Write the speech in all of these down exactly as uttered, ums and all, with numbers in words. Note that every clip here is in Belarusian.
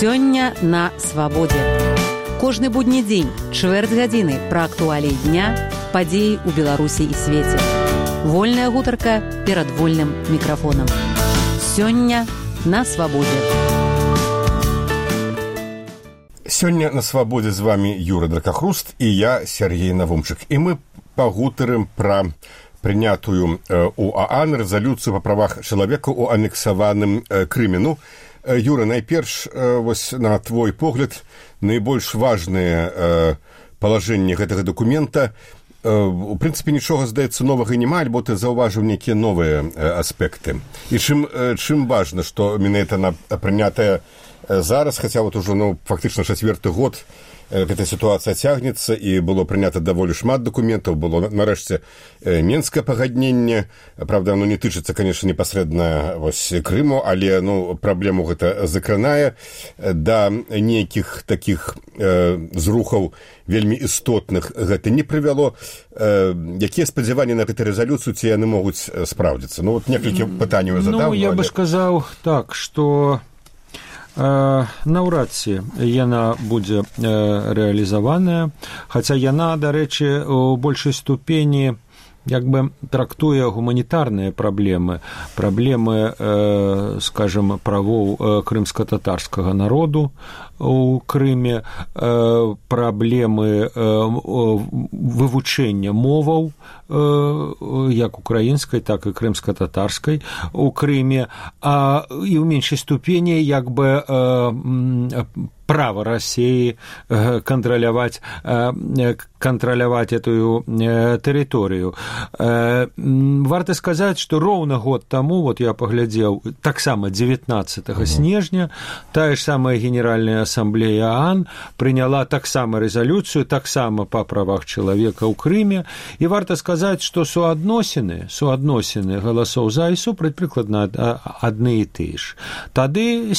Сёння на свабодзе. Кожны будні дзень, чвэрць гадзіны пра актуаліі дня, падзеі ў Беларусі і свеце. Вольная гутарка перад вольным мікрафонам. Сёння на свабодзе. Сёння на свабодзе з вами Юра Дракахруст і я, Сергей Навумчык. І мы пагутарым пра прынятую у ААН рэзалюцыю па правах чалавека ў анексаваным Крыме. Ну, Юра, найперш, вось на твой погляд, найбольш важнае палажэнне гэтага дакумента. У прынцыпе, нічога, здаецца, новага няма, альбо ты заўважыў нейкія новыя аспекты. І чым, чым важна, што менавіта она прынятая зараз, хаця вот ужо, ну, фактычна чацвёрты год эта ситуация цягнецца, і было прынята даволі шмат дакументаў, было нарэшце Менскае пагадненне. Правда, оно не тычыцца, конечно, непасрэдна вось Крыму, але, ну, праблему гэта закранае. Да нейкіх такіх э, зрухаў вельмі істотных гэта не прывяло. Э, якія спадзяванні на гэту рэзалюцыю, ці яны могуць спраўдзіцца? Ну, вот некалькі пытанняў я задаў. Ну, я бы сказаў так, што наўрад ці яна будзе рэалізаваная, хаця яна, дарэчы, у большай ступені як бы трактуе гуманітарныя праблемы, праблемы, э, скажем, правоў э, крымска-татарскага народу у Крыме, э, праблемы э, вывучэння моваў, э, як украінскай, так і крымска-татарскай у Крыме, а і ў меншай ступені як бы э, право России контролировать, контролировать эту территорию. Варто сказать, что ровно год тому, вот я поглядел, так само девятнадцатого снежня, та же самая Генеральная Ассамблея ААН приняла так само резолюцию, так само по правах человека у Крыме, и варто сказать, что суадносины, суадносины голосов за и супраць прикладно одни и те же. Тады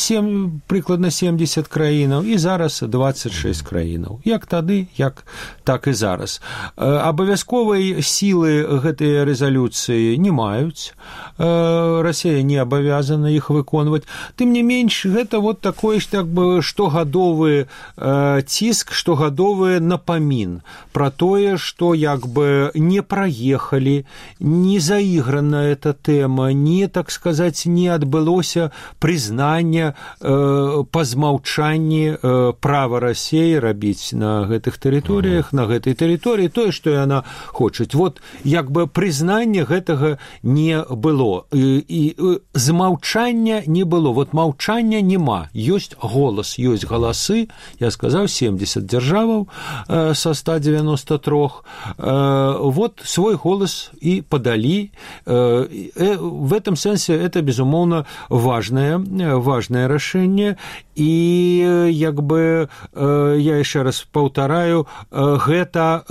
прикладно семьдесят краинов, і зараз двадцать шесть краінаў. Як тады, як так і зараз. Абавязковай сілы гэтыя рэзалюцыі не маюць. Расія не абавязана іх выконваць. Тым не менш, гэта вот такой так бы штогадовы ціск, штогадовы напамін пра тое, што як бы не праехалі, не заіграна эта тэма, не, так сказаць, не адбылося прызнання па змаўчанні права России рабіць на гэтых тэрыторыях, на гэтай тэрыторыі тое, што яна хоча. Вот як бы прызнання гэтага не было. І, і змаўчання не было. Вот маўчання няма. Ёсць голас, ёсць галасы. Я сказаў, семьдесят дзяржаваў э, со ста девяноста трёх. Э, вот свой голас и подали. Э, э, в этом сенсе это, безумоўно, важное, важное решение. И як бы я яшчэ раз паўтараю, гэта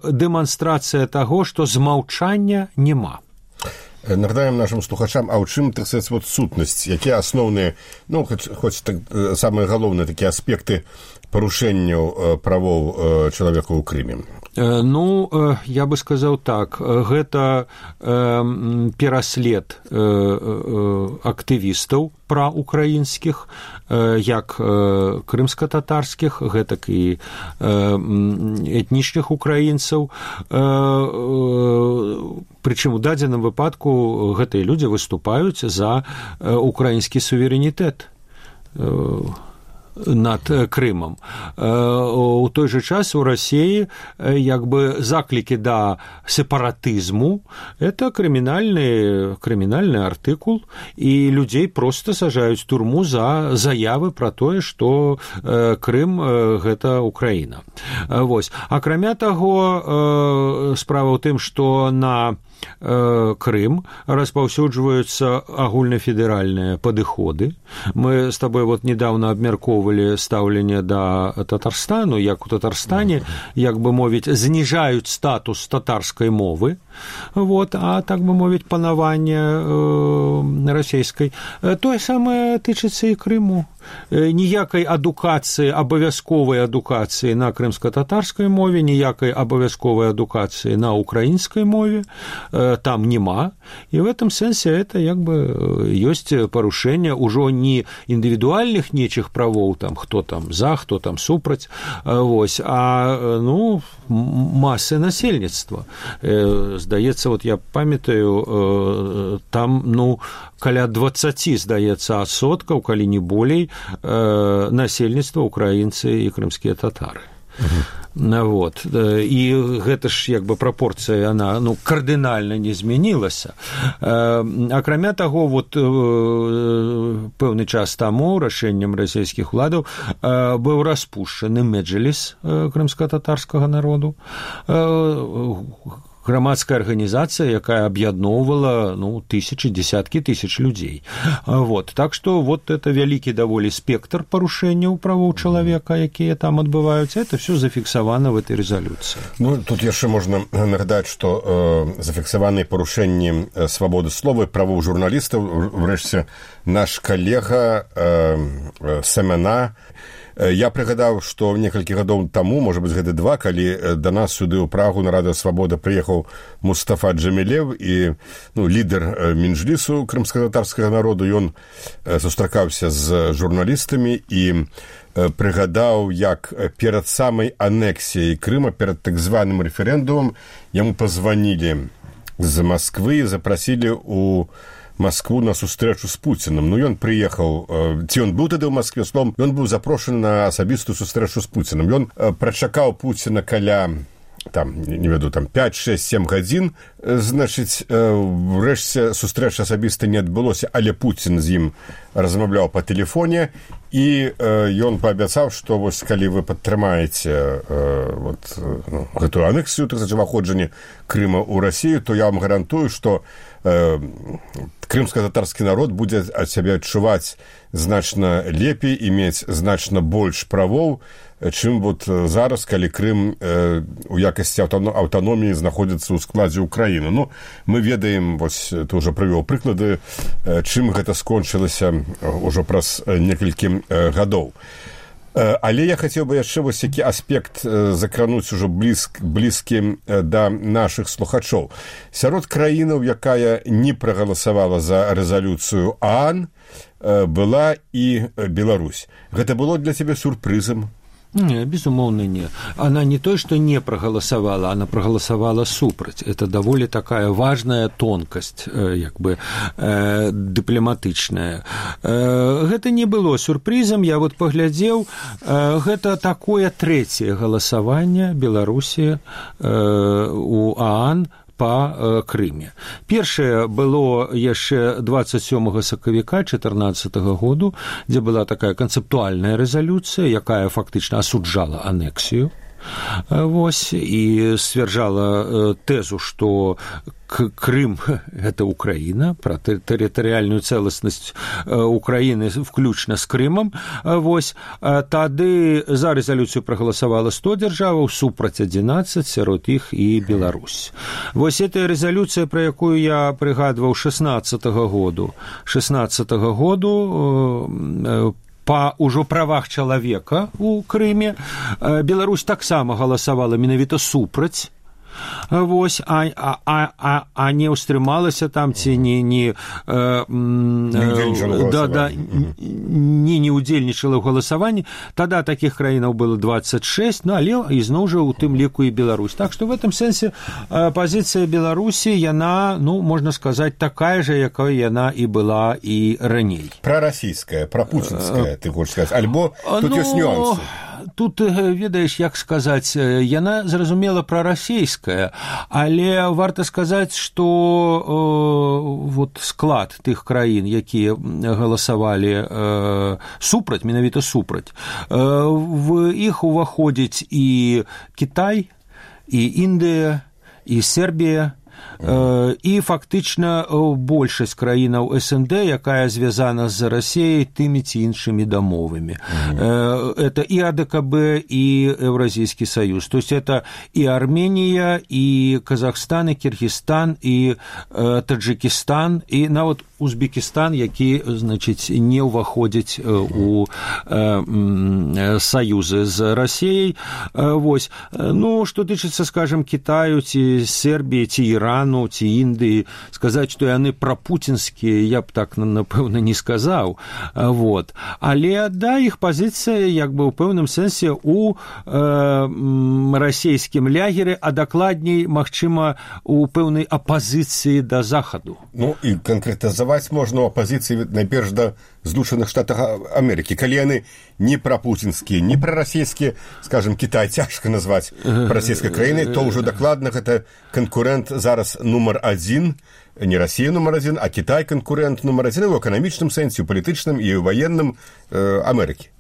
дэманстрацыя таго, што змаўчання няма. Нагадаем нашим слухачам, а ў чым, так сказаць, вот сутнасць, якія асноўныя, ну, хоць, хоць так, самыя галоўныя такія аспекты парушэнняў правоў чалавека ў Крыме? Ну, я бы сказаў так, гэта пераслед актывістаў праўкраінскіх, як крымска-татарскіх, гэтак і этнічных украінцаў. Прычым у дадзеным выпадку гэтыя людзі выступаюць за украінскі суверэнітэт над Крымом. У той же час у России як бы заклики да сепаратызму – это криминальный, криминальный артыкул, и людей просто сажают в тюрьму за заявы про то, что Крым – это Украина. Вось. Акрамя таго, справа ў тым, што на Крым распаўсюджваюцца агульнафедэральныя падыходы. Мы с тобой вот недавно абмяркоўвалі стаўленне да Татарстану, як у Татарстане, як бы мовіць, зніжаюць статус татарскай мовы, вот, а так бы мовіць, панаванне э, расійскай. Тое самае тычыцца і Крыму. Ніякай адукацыі, абавязковай адукацыі на крымска-татарскай мове, ніякай абавязковай адукацыі на украінскай мове там нема, и в этом сенсе это як бы ёсць парушэнне ўжо не індывідуальных нечых правоў бакоў, там хто там за, хто там супраць, вось, а ну масы насельніцтва. Здаецца, вот я памятаю, там ну каля дваццаць, здаецца, адсоткаў, калі не болей, насельніцтва украінцы і крымскія татары. Вот. І гэта ж як бы прапорцыя, яна ну, кардынальна не змянілася. Акрамя таго, вот, пэўны час таму рашэннем расійскіх уладаў быў распушчаны меджліс крымска-татарскага народу, грамадская арганізацыя, якая аб'ядноўвала ну, тысячы, десяткі тысяч людзей. Вот. Так што вот это вялікі даволі спектр парушэнняў правоў чалавека, якія там адбываюцца, это все зафіксавана в этой резолюции. Ну, тут яшчэ можна нагадаць, што э, зафіксаваныя парушэнні свабоды слова і правоў журналістаў, врэшце, наш калега э, Семена. Я прыгадаў, што некалькі гадоў таму, можа быць, гэта два, калі да нас сюды ў Прагу на Радыё Свабода прыехаў Мустафа Джамілев і ну, лідар Мінжлісу крымска-татарскага народу. Ён сустракаўся з журналістамі і прыгадаў, як перад самай анексіяй Крыма, перад так званым рэферэндумам, яму пазванілі з Масквы і запрасілі ў Москву на сустрэчу з Пуціным. Ну, ён прыехаў, ці ён быў тады ў Маскве, словом, ён быў запрошаны на асабістую сустрэчу з Пуціным. Ён прачакаў Пуціна каля, там, не веду, там, пяць, шэсць, сем гадзін. Значыць, врэшце сустрэча асабіста не адбылося, але Пуцін з ім размаўляў па тэлефоне, і ён паабяцаў, што вось калі вы падтрымаеце вот, ну, гэтую анексію, так сказаць, уваходжанне Крыма ў Расію, то я вам гарантую, што крымска-татарскі народ будзе ад сябе адчуваць значна лепей і мець значна больш правоў, чым вот зараз, калі Крым у якасці аўтаноміі знаходзіцца ў складзе Украіны. Ну, мы ведаем, вось ты ўжо прывёў прыклады, чым гэта скончылася ўжо праз некалькі гадоў. Але я хацеў бы яшчэ вось які аспект закрануць ужо блізк, блізкі да нашых слухачоў. Сярод краінаў, якая не прагаласавала за рэзалюцыю ААН, была і Беларусь. Гэта было для цябе сюрпрызам? Не, безумоўна, не. Она не то, что не проголосовала, она проголосовала супраць. Это даволі такая важная тонкасць, як бы, э, дыпламатычная. Э, гэта не было сюрпрызам, я вот паглядзеў, э, гэта такое трэцяе галасаванне Беларусі э, у ААН па Крыме. Першае было яшчэ дваццаць сёмага сакавіка чатырнаццатага году, дзе была такая канцэптуальная рэзалюцыя, якая фактычна асуджала анексію. Вось, і сцвярджала тэзу, што Крым – это Украина, про территориальную целостность Украины включно с Крымом. Вось, тады за резолюцию проголосовало сто державаў, супраць адзінаццаць, сярод іх і Беларусь. Вось эта резолюция, про якую я прыгадваў шэснаццатага году, шэснаццатага году, па ўжо правах чалавека у Крыме, Беларусь таксама галасавала менавіта супраць. Вось, а, а, а, а не ўстрымалася там, ці не, не, э, э, да, да, не, не удзельнічала ў галасаванні. Тада такіх краінаў было дваццаць шэсць, ну, але ізноў жа у тым ліку і Беларусь. Так што в этом сэнсе э, пазіцыя Беларусі, яна, ну, можна сказаць, такая же, якая яна і была і раней. Прарасійская, прапуцінская, ты хочаш сказаць, альбо тут ну, ёсць нюансы. Тут, ведаеш, як сказаць, яна зразумела прарасійская, але варта сказаць, што э, вот склад тых краін, якія галасавалі э, супраць, менавіта супраць, э, в іх уваходзіць і Кітай, і Індыя, і Сербія, і фактычна большасць краінаў СНД, якая звязана з Расіяй тымі ці іншымі дамовамі. Mm-hmm. Это і АДКБ, і Еўразійскі саюз. То есть это і Арменія, і Казахстан, і Кіргізстан, і Таджикістан, і нават Узбекістан, які, значыць, не ўваходзіць у саюзы з Расіяй. Вось. Ну, што тычыцца, скажем, Кітаю, ці Сербіі, ці Ірану ці Індыі, сказаць, што яны прапуцінскія, я б так, напэўна, не сказаў. Вот. Але, да, іх пазіцыя, як бы, ў пэўным сэнсе у э, расійскім лягеры, а дакладней, магчыма, у пэўнай апазіцыі да Захаду. Ну, і канкрэтызаваць можна ў апазіцыі, найперш, да Злучаных Штатах Амерыкі. Калі яны не прапуцінскія, не прарасійскія, скажем, Кітай цяжка назваць расійскай краінай, то ўжо дакладна гэта канкурэнт зараз нумар адзін, не Расія нумар адзін, а Кітай канкурэнт нумар адзін у эканамічным сэнсе, у палітычным і ў ваенным э, Амерыкі.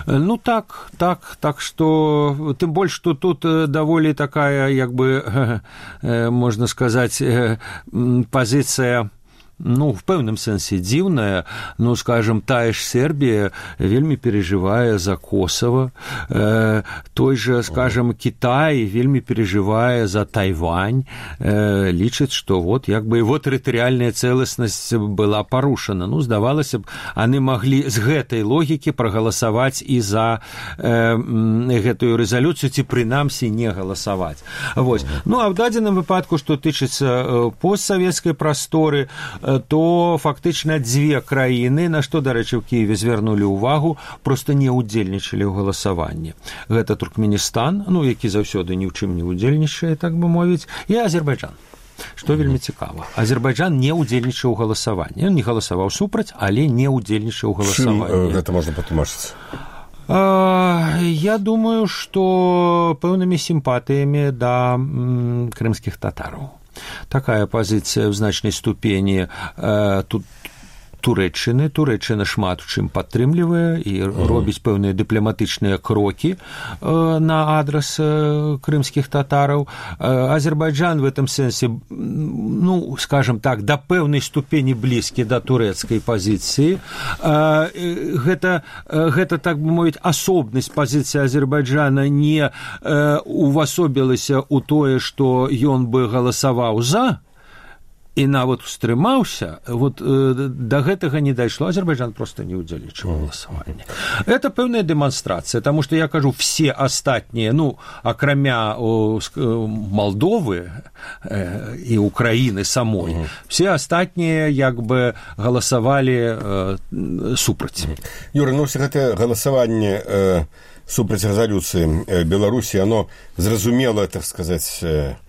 Ну так, так, так что, тым больш, што тут даволі такая, як бы, э, э, можна сказаць, э, пазіцыя, ну, в пэўным сэнсе дзіўная, ну, скажем, тая ж Сербія вельмі переживае за Косово, э, той же, скажем, Кітай вельмі переживае за Тайвань, э, лічыць, што вот, як бы, его тэрытарыяльная цэласнасць была парушана. Ну, здавалася б, яны маглі з гэтай логікі прагаласаваць і за э, гэтую рэзалюцыю, ці прынамсі не галасаваць. Вось. Ну, а в дадзеным выпадку, што тычыцца э, постсавецкай прасторы, то фактычна дзве краіны, на што, дарэчы, ў Кіеве звярнулі ўвагу, проста не ўдзельнічалі ў галасаванні. Гэта Туркменістан, ну, які заўсёды ні ў чым не ўдзельнічае, так бы мовіць, і Азербайджан. Што вельмі цікава. Азербайджан не ўдзельнічаў у галасаванні. Ён не галасаваў супраць, але не ўдзельнічаў у галасаванні. Чым гэта можна патлумачыць? Я думаю, што пэўнымі сімпатыямі да м, крымскіх татараў. Такая пазіцыя ў значнай ступені э, тут Турэччыны. Турэччына шмат у чым падтрымлівае і uh-huh. робіць пэўныя дыпламатычныя крокі э, на адрас э, крымскіх татараў. Э, Азербайджан в этом сэнсе, ну, скажем так, да пэўнай ступені блізкі да турэцкай пазіцыі. Э, гэта, э, гэта, так бы мовіць, асобнасць пазіцыі Азербайджана не э, увасобілася ў тое, што ён бы галасаваў за, і нават устрымаўся, вот э, да гэтага не дайшло. Азербайджан просто не ўдзельнічаў у галасаванні. Это пэўная дэманстрацыя, таму што я кажу, все астатнія, ну, акрамя о, Малдовы э, і Украіны самой, угу. все астатнія як бы галасавалі э, супраць. Юра, ну, все гэта галасаванне э, супраць рэзалюцыі э, Беларусі, оно зразумела, так сказаць, э,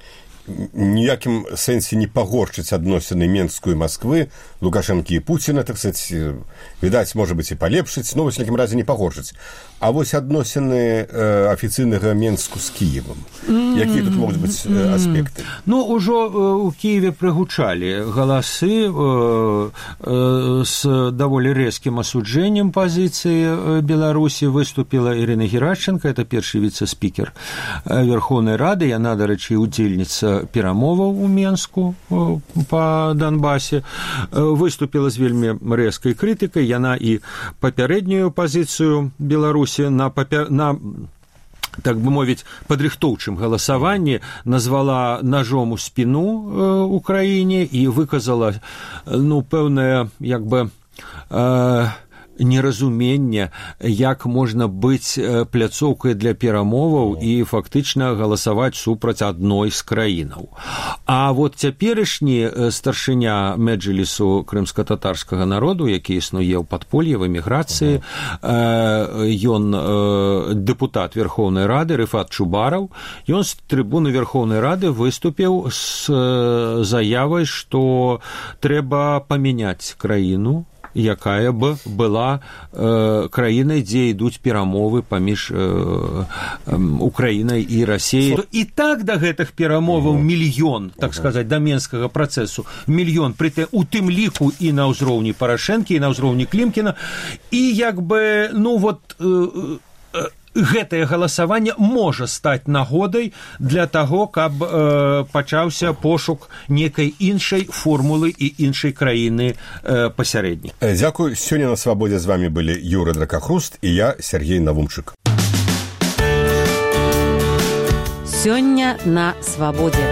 ніякім сэнсе не пагорчыць адносіны Менскую і Масквы, Лукашэнкі і Пуціна, так сказаць, відаць, можа быць, і палепшыць, но вось, в якім разе не пагорчыць. А вось адносіны э, афіцыйнага Менску з Кіевам. Якія тут могуць быць э, аспекты? Ну, ужо ў Кіеве прыгучалі галасы э, э, з даволі рэзкім асуджэннем пазіцыі Беларусі. Выступіла Ірына Геращенко, это першы віцэ-спікер Верховнай Рады, яна, дарэчы, удзельніца перамоваў у Менску па Донбасе, выступіла з вельмі рэзкай крытыкай. Яна і папярэднюю пазіцыю Беларусі на, папя... на так бы мовіць, падрыхтоўчым галасаванні назвала ножом у спіну э, Украіне і выказала, ну, пэўнае, як бы, э, неразуменне, як можна быць пляцоўкай для перамоваў і фактычна галасаваць супраць адной з краінаў. А вот цяперашні старшыня Меджлісу крымска-татарскага народу, які існуе ў падполлі, в эміграцыі, ён дэпутат Верховнай Рады Рыфат Чубараў, ён з трыбуны Верховнай Рады выступіў з заявай, што трэба памяняць краіну, якая б была э, краінай, дзе ідуць перамовы паміж э, э, Украінай і Расіяй. І так да гэтых перамоваў мільён, так сказаць, да Менскага працэсу, мільён, пры у тым ліку і на ўзроўні Парашэнкі, і на ўзроўні Клімкіна, і як бы, ну вот, э, э, гэтае галасаванне можа стаць нагодай для таго, каб э, пачаўся пошук некай іншай формулы і іншай краіны э, пасярэднік. Дзякуй. Сёння на свабодзе з вами былі Юра Дракахруст і я, Сергей Навумчык. Сёння на свабодзе.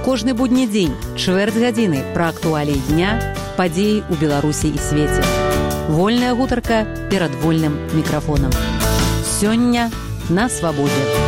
Кожны будні дзень, чвэрць гадзіны пра актуаліі дня, падзеі ў Беларусі і свеце. Вольная гутарка перад вольным мікрафонам. Сёння на свабодзе.